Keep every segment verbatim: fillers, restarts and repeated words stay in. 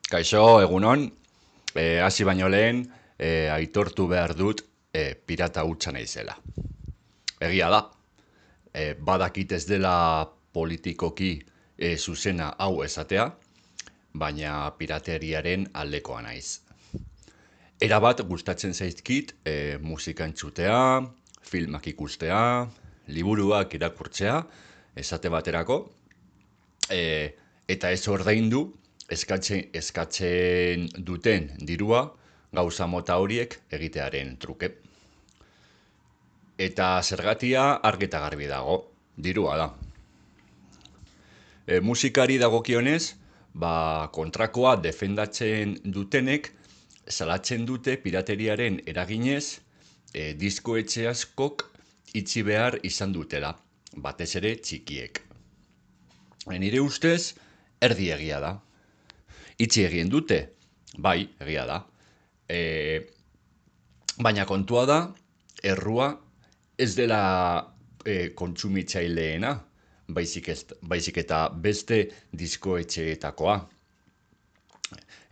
Kaixo, egunon, e, hasi baino lehen, e, aitortu behar dut e, pirata hutsa naizela. Egia da, e, badakit ez dela politikoki e, zuzena hau esatea, baina pirateriaren aldekoa naiz. Erabat gustatzen zaizkit e, musika entzutea, filmak ikustea, liburuak irakurtzea, esate baterako, e, eta ez ordaindu eskatzen, eskatzen duten dirua gauza mota horiek egitearen truke. Eta zergatia argi eta garbi dago, dirua da. E, musikari dagokionez, ba, kontrakoa defendatzen dutenek salatzen dute pirateriaren eraginez e, diskoetxe askok itxi behar izan dutela, batez ere txikiek. E, nire ustez, erdi egia da. Itxi egin dute, bai, egia da. E, baina kontua da, errua ez dela e, kontsumitzaileena, baizik, ez, baizik eta beste diskoetxeetakoa.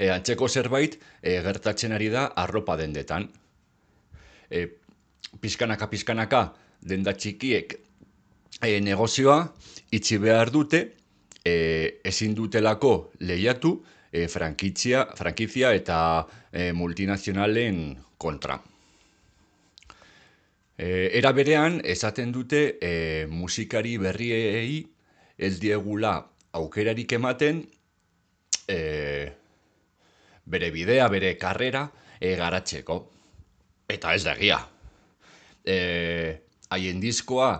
E, antzeko zerbait e, gertatzen ari da arropa dendetan. E, pizkanaka, pizkanaka, denda txikiek e, negozioa itxi behar dute, e, ezin dutelako lehiatu e, frankizia, frankizia eta e, multinazionalen kontra. E, era berean, esaten dute e, musikari berriei ez diegula aukerarik ematen e, bere bidea, bere karrera e, garatzeko. Eta ez da egia. E, haien diskoa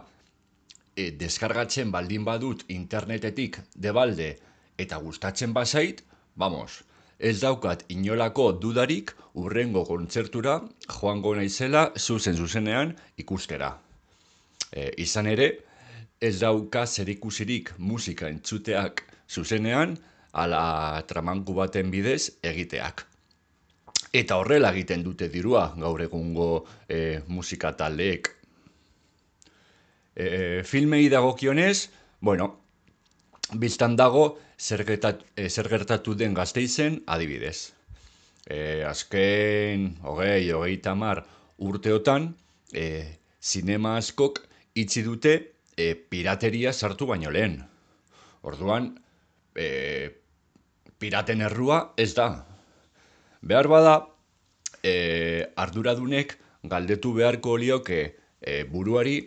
e, deskargatzen baldin badut internetetik debalde eta gustatzen bazait, vamos, ez daukat inolako dudarik urrengo kontzertura joango naizela zuzen zuzenean ikustera. E, izan ere, ez dauka zerikusirik musika entzuteak zuzenean ala tramanku baten bidez egiteak. Eta horrela egiten dute dirua gaur egungo e, musika taldeek. E, filmei dagokionez, bueno, biztan dago zer gertatu, e, zer gertatu den Gasteizen adibidez. E, azken, hogei, hogei tamar urteotan, e, zinema askok itxi dute e, pirateria sartu baino lehen. Orduan, e, piraten errua ez da. Behar bada, e, arduradunek galdetu beharko lioke e, buruari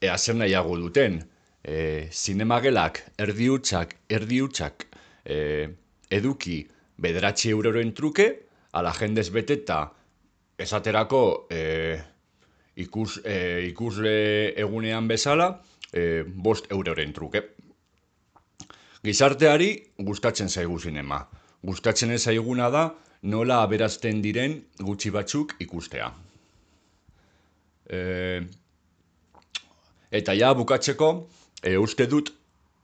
ea zer nahiago duten. E, zinemagelak erdi hutsak, erdi hutsak e, eduki bederatzi euroren truke, ala jendez beteta esaterako e, ikus, e, ikusle egunean bezala, e, bost euroren truke. Gizarteari gustatzen zaigu zinema. Gustatzen ez zaiguna da nola aberazten diren gutxi batzuk ikustea. E, eta ja bukatzeko, e, uste dut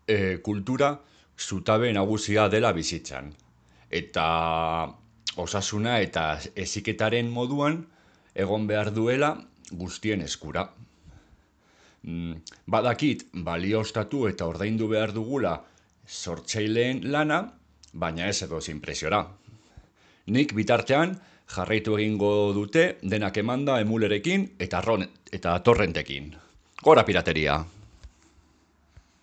e, kultura zutabe nagusia dela bizitzan. Eta osasuna eta heziketaren moduan egon behar duela guztien eskura. Badakit balioztatu eta ordaindu behar dugula sortzaileen lana, baina ez edo inpresiora. Nik bitartean jarraitu egingo dute denak emanda emulerekin eta, ron, eta torrentekin. Gora pirateria!